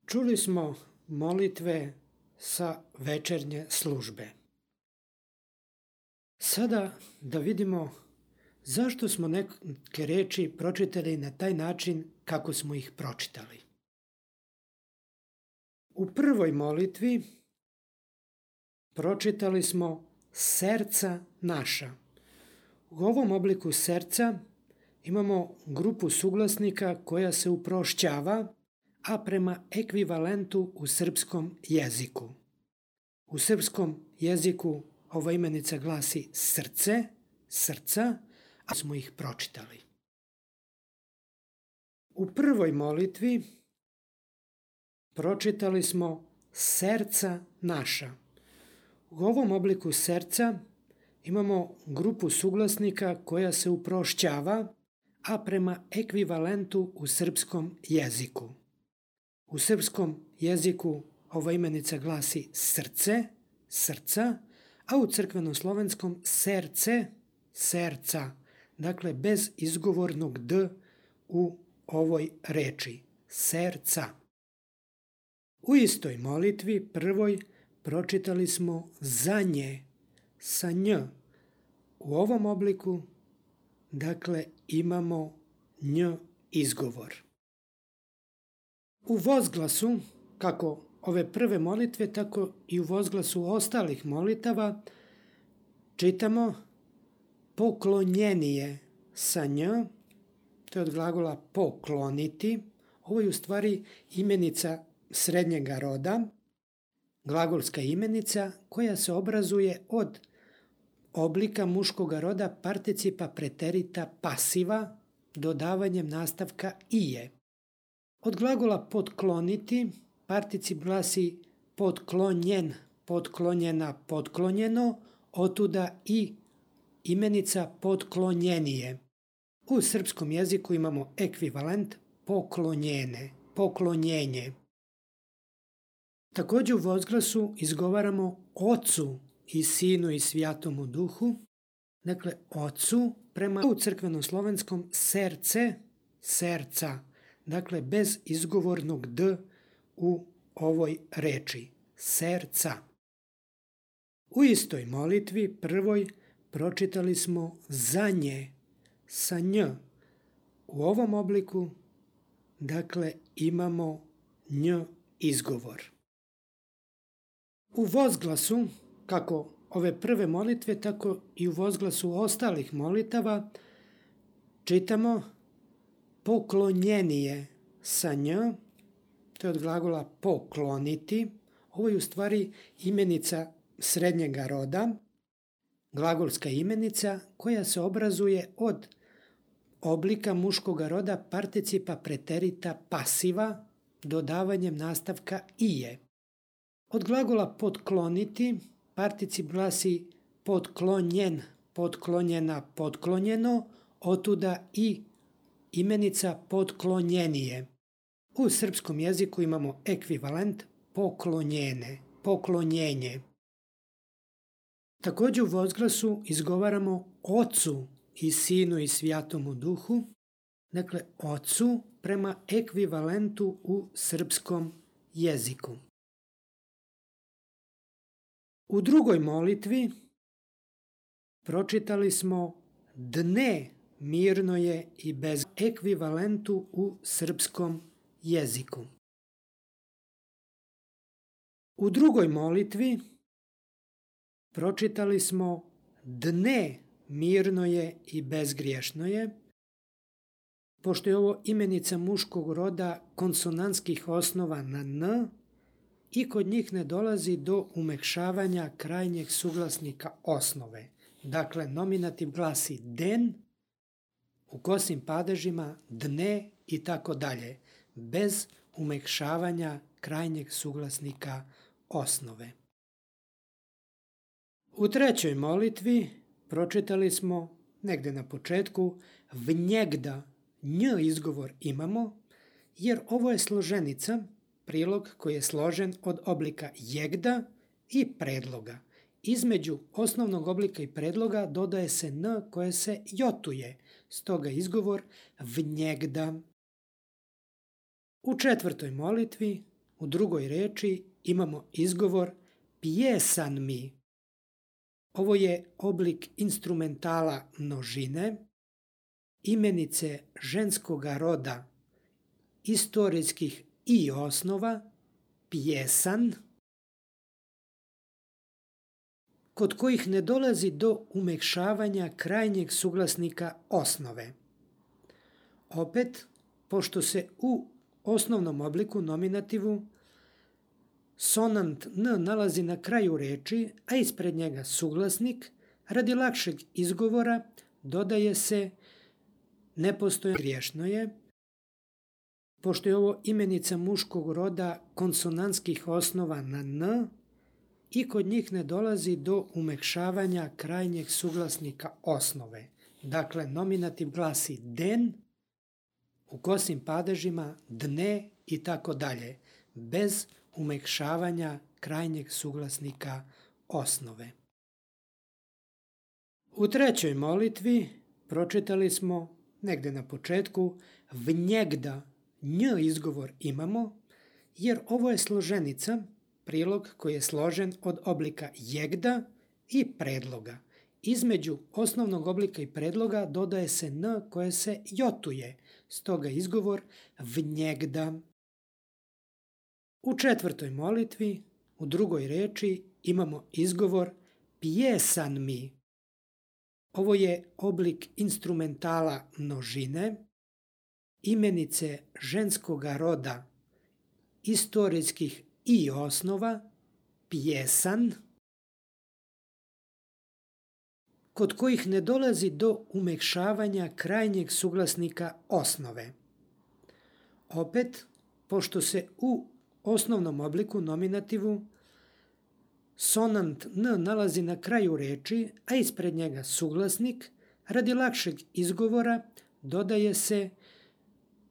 Čuli smo molitve sa večernje službe. Sada da vidimo zašto smo neke reči pročitali na taj način kako smo ih pročitali. U prvoj molitvi pročitali smo serca naša. U ovom obliku serca imamo grupu suglasnika koja se uprošćava, a prema ekvivalentu u srpskom jeziku. U srpskom jeziku ova imenica glasi srce, srca, a smo ih pročitali. U prvoj molitvi pročitali smo serca naša. U ovom obliku serca imamo grupu suglasnika koja se uprošćava, a prema ekvivalentu u srpskom jeziku. U srpskom jeziku ova imenica glasi srce, srca, a u crkveno-slovenskom serce, serca, dakle bez izgovornog d u ovoj reči, serca. U istoj molitvi, prvoj, pročitali smo za nje, sa nj. U ovom obliku, dakle, imamo nj izgovor. U vozglasu, kako ove prve molitve, tako i u vozglasu ostalih molitava, čitamo poklonjenije sa nj, to je od glagola pokloniti. Ovo je u stvari imenica srednjega roda, glagolska imenica koja se obrazuje od oblika muškog roda participa preterita pasiva dodavanjem nastavka ije. Od glagola potkloniti particip glasi potklonjen, potklonjena, potklonjeno, otuda i imenica potklonjenije. U srpskom jeziku imamo ekvivalent poklonjene, poklonjenje. Također u vozglasu izgovaramo Ocu i Sinu i Svjatomu Duhu, dakle Ocu prema u crkveno-slovenskom serce, serca, dakle bez izgovornog d u ovoj reči, serca. U istoj molitvi, prvoj, pročitali smo za nje, sa nj. U ovom obliku, dakle, imamo nj izgovor. U vozglasu, kako ove prve molitve, tako i u vozglasu ostalih molitava, čitamo poklonjenije sa nj, to je od glagola pokloniti. Ovo je u stvari imenica srednjega roda, glagolska imenica koja se obrazuje od oblika muškog roda participa preterita pasiva dodavanjem nastavka ije. Od glagola potkloniti particip glasi potklonjen, potklonjena, potklonjeno, otuda i imenica potklonjenije. U srpskom jeziku imamo ekvivalent poklonjene, poklonjenje. Također u vozglasu izgovaramo Ocu i Sinu i Svjatomu Duhu, dakle Ocu prema ekvivalentu u srpskom jeziku. U drugoj molitvi pročitali smo dne mirno je i bez ekvivalentu u srpskom jeziku. U drugoj molitvi pročitali smo dne mirno je i bezgriješno je, pošto je ovo imenica muškog roda konsonantskih osnova na n i kod njih ne dolazi do umekšavanja krajnjeg suglasnika osnove. Dakle, nominativ glasi den, u kosim padežima dne i tako dalje, bez umekšavanja krajnjeg suglasnika osnove. U trećoj molitvi pročitali smo negde na početku vnjegda, nj izgovor imamo, jer ovo je složenica, prilog koji je složen od oblika jegda i predloga. Između osnovnog oblika i predloga dodaje se n koje se jotuje, stoga izgovor vnjegda. U četvrtoj molitvi u drugoj reči imamo izgovor pjesan mi. Ovo je oblik instrumentala množine, imenice ženskoga roda, istorijskih i osnova, pjesan, kod kojih ne dolazi do umekšavanja krajnjeg suglasnika osnove. Opet, pošto se u osnovnom obliku nominativu sonant n nalazi na kraju reči, a ispred njega suglasnik, radi lakšeg izgovora dodaje se nepostojano griješno je, pošto je ovo imenica muškog roda konsonantskih osnova na n i kod njih ne dolazi do umekšavanja krajnjeg suglasnika osnove. Dakle, nominativ glasi den, u kosim padežima dne i tako dalje, bez umekšavanja krajnjeg suglasnika osnove. U trećoj molitvi pročitali smo negde na početku vnjegda nj izgovor imamo, jer ovo je složenica, prilog koji je složen od oblika jegda i predloga. Između osnovnog oblika i predloga dodaje se n koje se jotuje, stoga izgovor vnjegda. U četvrtoj molitvi, u drugoj reči, imamo izgovor pjesan mi. Ovo je oblik instrumentala množine, imenice ženskoga roda, istorijskih i osnova, pjesan, kod kojih ne dolazi do umekšavanja krajnjeg suglasnika osnove. Opet, pošto se u osnovnom obliku nominativu sonant n nalazi na kraju reči, a ispred njega suglasnik, radi lakšeg izgovora dodaje se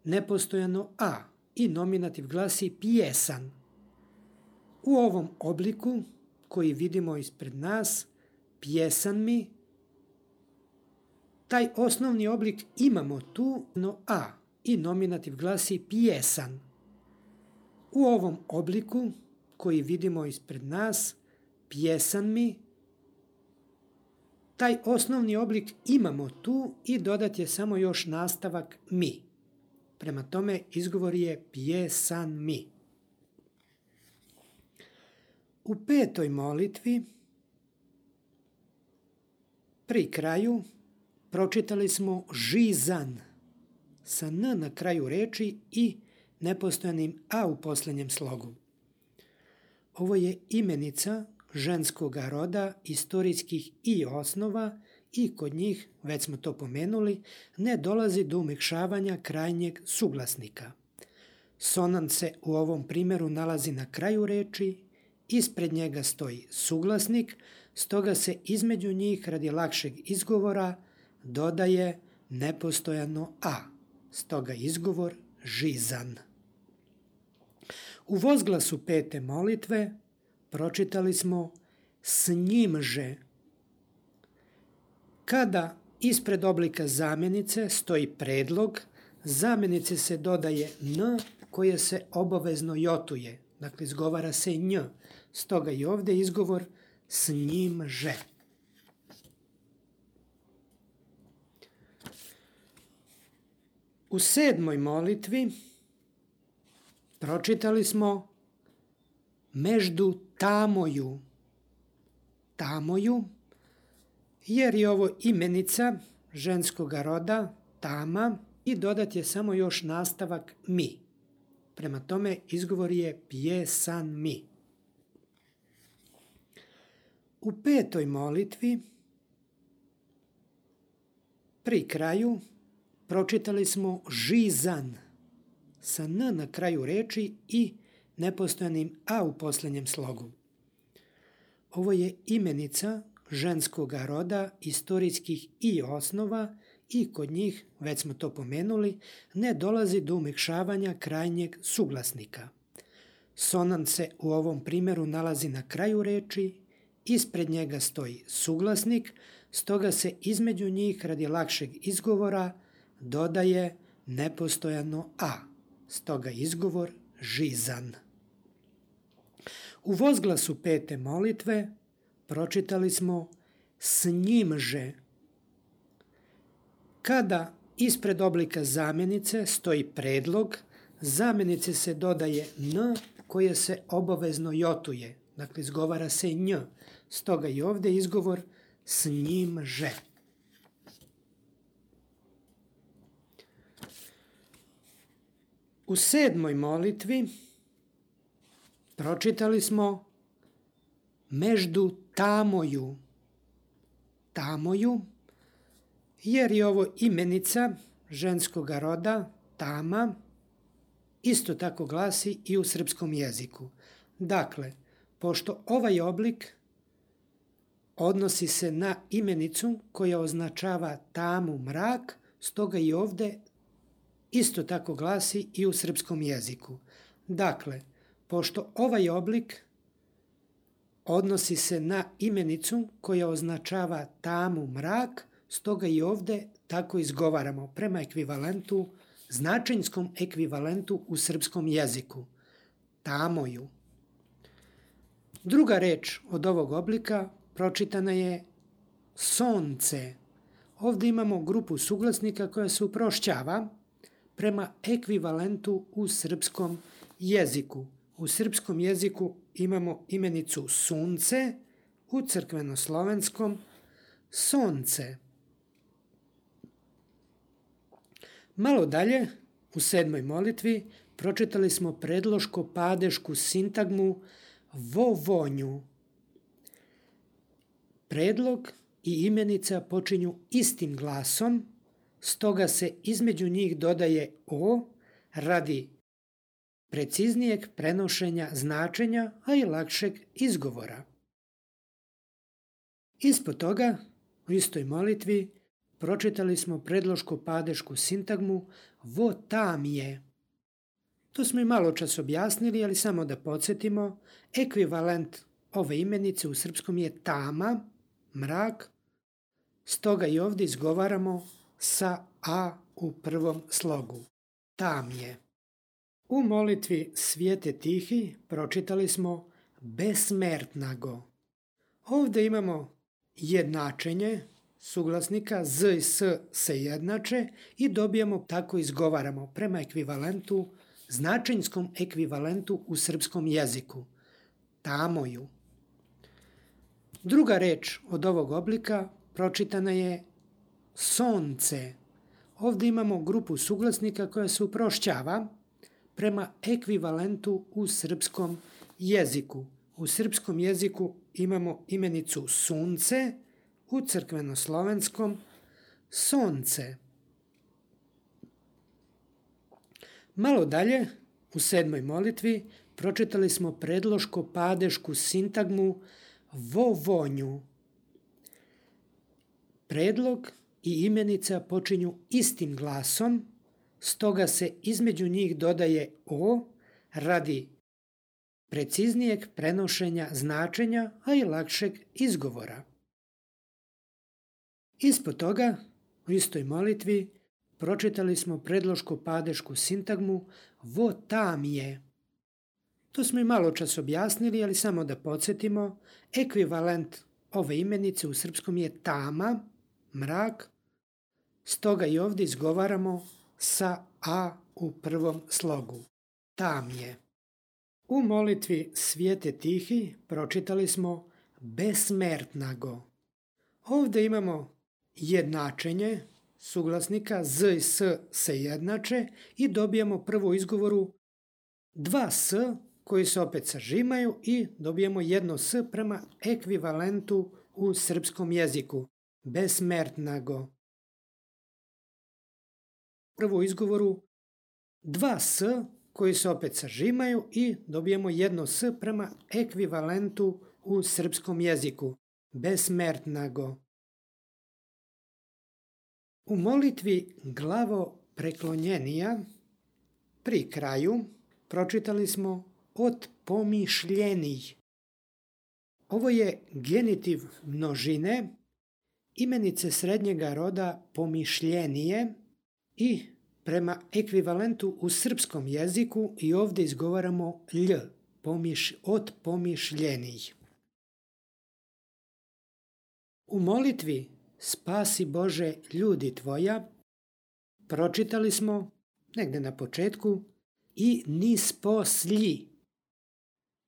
nepostojano a i nominativ glasi pjesan. U ovom obliku koji vidimo ispred nas, pjesan mi, taj osnovni oblik imamo tu no a i nominativ glasi pjesan. U ovom obliku koji vidimo ispred nas, pjesan mi, taj osnovni oblik imamo tu i dodat je samo još nastavak mi. Prema tome izgovor je pjesan mi. U petoj molitvi pri kraju pročitali smo žizan sa n na kraju reči i nepostojanim a u posljednjem slogu. Ovo je imenica ženskoga roda, istorijskih i osnova i kod njih, već smo to pomenuli, ne dolazi do umekšavanja krajnjeg suglasnika. Sonant se u ovom primjeru nalazi na kraju reči, ispred njega stoji suglasnik, stoga se između njih radi lakšeg izgovora dodaje nepostojano a, stoga izgovor žizan. U vozglasu pete molitve pročitali smo s njimže. Kada ispred oblika zamjenice stoji predlog, zamjenici se dodaje n koje se obavezno jotuje, dakle izgovara se nj, stoga i ovdje izgovor s njimže. U sedmoj molitvi pročitali smo meždu tamoju. Tamoju, jer je ovo imenica ženskoga roda, tama, i dodat je samo još nastavak mi. Prema tome izgovor je pjesan mi. U petoj molitvi pri kraju pročitali smo žizan sa n na kraju reči i nepostojanim a u posljednjem slogu. Ovo je imenica ženskoga roda, istorijskih i osnova i kod njih, već smo to pomenuli, ne dolazi do umekšavanja krajnjeg suglasnika. Sonant se u ovom primjeru nalazi na kraju reči, ispred njega stoji suglasnik, stoga se između njih radi lakšeg izgovora dodaje nepostojano a, stoga izgovor žizan. U vozglasu 5. molitve pročitali smo s njimže. Kada ispred oblika zamjenice stoji predlog, zamjenici se dodaje n koje se obavezno jotuje. Dakle, izgovara se nj. Stoga i ovdje izgovor s njimže. U 7. molitvi pročitali smo meždu tamoju. Tamoju, jer je ovo imenica ženskog roda, tama, isto tako glasi i u srpskom jeziku. Dakle, pošto ovaj oblik odnosi se na imenicu koja označava tamu, mrak, stoga i ovdje isto tako glasi i u srpskom jeziku. Dakle, pošto ovaj oblik odnosi se na imenicu koja označava tamu, mrak, stoga i ovdje tako izgovaramo prema ekvivalentu, značenjskom ekvivalentu u srpskom jeziku. Tamoju. Druga reč od ovog oblika pročitana je sonce. Ovdje imamo grupu suglasnika koja se uprošćava prema ekvivalentu u srpskom jeziku. U srpskom jeziku imamo imenicu sunce, u crkvenoslovenskom sonce. Malo dalje, u 7. molitvi, pročitali smo predloško-padešku sintagmu vovonju. Predlog i imenica počinju istim glasom, stoga se između njih dodaje o radi preciznijeg prenošenja značenja, a i lakšeg izgovora. Ispod toga, u istoj molitvi, pročitali smo predloško-padešku sintagmu votamije. To smo i malo čas objasnili, ali samo da podsjetimo, ekvivalent ove imenice u srpskom je tama, mrak, stoga i ovdje izgovaramo sa a u prvom slogu. Tamje. U molitvi Svijete Tihi pročitali smo besmertnago. Ovdje imamo jednačenje suglasnika z i s se jednače i dobijamo, tako izgovaramo, prema ekvivalentu, značenjskom ekvivalentu u srpskom jeziku. Tamoju. Druga reč od ovog oblika pročitana je sonce. Ovdje imamo grupu suglasnika koja se uprošćava prema ekvivalentu u srpskom jeziku. U srpskom jeziku imamo imenicu sunce, u crkvenoslovenskom sonce. Malo dalje, u 7. molitvi, pročitali smo predloško-padešku sintagmu vovonju. Predlog i imenica počinju istim glasom, stoga se između njih dodaje o radi preciznijeg prenošenja značenja, a i lakšeg izgovora. Ispod toga, u istoj molitvi, pročitali smo predloško-padešku sintagmu votamije. To smo i malo čas objasnili, ali samo da podsjetimo, ekvivalent ove imenice u srpskom je tama, mrak, stoga i ovdje izgovaramo sa a u prvom slogu. Tamje. U molitvi Svijete Tihi pročitali smo besmertnago. Ovdje imamo jednačenje suglasnika z i s se jednače i dobijamo prvo izgovoru dva s koji se opet sažimaju i dobijemo jedno s prema ekvivalentu u srpskom jeziku. Besmertnago. Prvo izgovoru dva s koji se opet sažimaju i dobijemo jedno s prema ekvivalentu u srpskom jeziku. Besmertnago. U molitvi glavo preklonjenija pri kraju pročitali smo od pomišljenih. Ovo je genitiv množine, imenice srednjega roda pomišljenije i prema ekvivalentu u srpskom jeziku i ovdje izgovaramo lj od pomišljenih. U molitvi Spasi Bože ljudi tvoja pročitali smo negde na početku i nisposlji.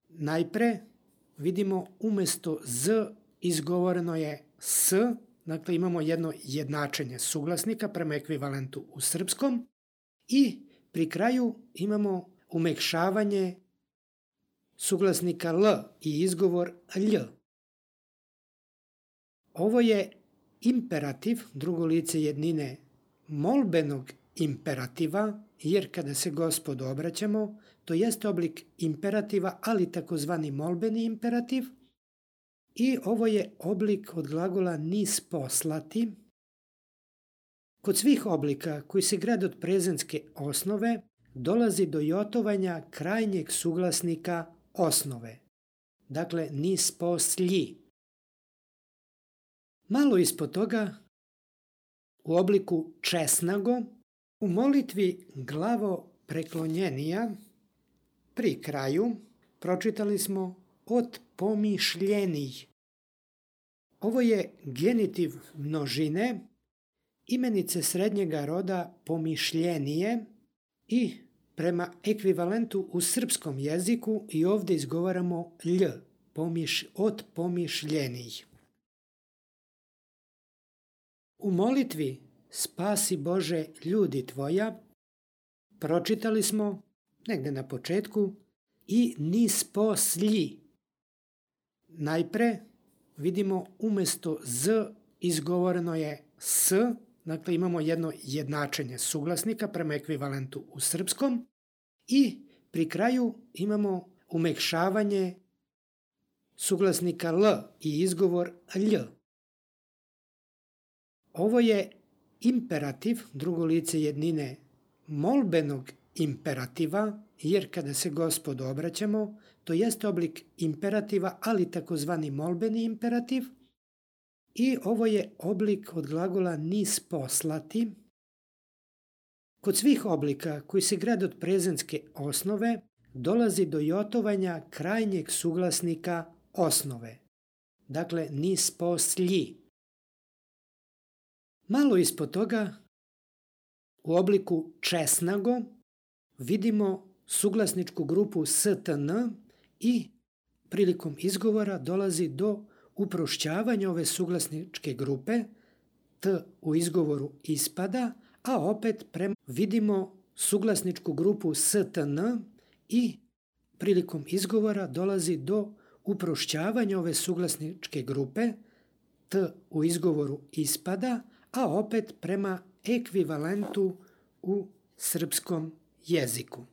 Najpre vidimo umesto z izgovoreno je s, dakle imamo jedno jednačenje suglasnika prema ekvivalentu u srpskom i pri kraju imamo umekšavanje suglasnika l i izgovor lj. Ovo je imperativ, drugo lice jednine molbenog imperativa, jer kada se Gospodu obraćamo, to jeste oblik imperativa, ali takozvani molbeni imperativ. I ovo je oblik od glagola nisposlati. Kod svih oblika koji se grade od prezentske osnove, dolazi do jotovanja krajnjeg suglasnika osnove. Dakle, nisposlji. Malo ispod toga, u obliku česnago, u molitvi glavo preklonjenija, pri kraju, pročitali smo od pomišljenih. Ovo je genitiv množine, imenice srednjega roda pomišljenije i prema ekvivalentu u srpskom jeziku i ovdje izgovaramo lj, od pomišljenih. U molitvi Spasi Bože ljudi tvoja pročitali smo negde na početku i nisposlji. Najpre vidimo umesto z izgovoreno je s, dakle imamo jedno jednačenje suglasnika prema ekvivalentu u srpskom i pri kraju imamo umekšavanje suglasnika l i izgovor lj. Ovo je imperativ, drugo lice jednine molbenog imperativa, jer kada se Gospodu obraćamo, to jeste oblik imperativa, ali takozvani molbeni imperativ. I ovo je oblik od glagola nisposlati. Kod svih oblika koji se grade od prezentske osnove, dolazi do jotovanja krajnjeg suglasnika osnove. Dakle, nisposlji. Malo ispod toga, u obliku česnago, vidimo suglasničku grupu stn i prilikom izgovora dolazi do uprošćavanja ove suglasničke grupe, t u izgovoru ispada, a opet vidimo suglasničku grupu stn i prilikom izgovora dolazi do uprošćavanja ove suglasničke grupe, t u izgovoru ispada, a opet prema ekvivalentu u srpskom jeziku.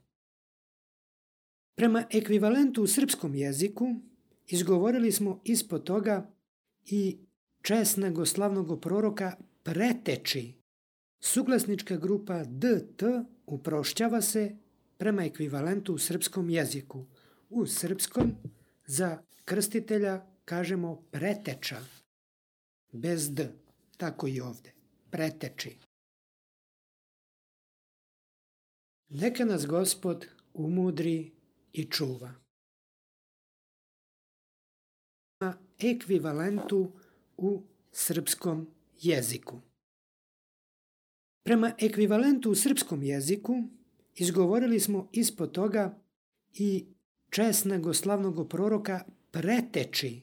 Prema ekvivalentu u srpskom jeziku izgovorili smo ispod toga i česnago slavnog proroka preteči. Suglasnička grupa dt uprošćava se prema ekvivalentu u srpskom jeziku. U srpskom za krstitelja kažemo preteča, bez d, tako i ovde, preteči. Neka nas Gospod umudri i čuva. Na ekvivalentu u srpskom jeziku. Prema ekvivalentu u srpskom jeziku izgovorili smo ispod toga i česnago slavnog proroka preteči.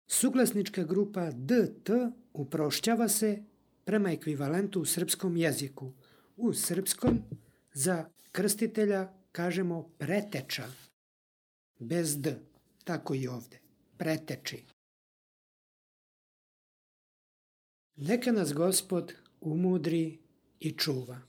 Suglasnička grupa dt uprošćava se prema ekvivalentu u srpskom jeziku. U srpskom za krstitelja kažemo preteča, bez d, tako i ovde, preteči. Neka nas Gospod umudri i čuva.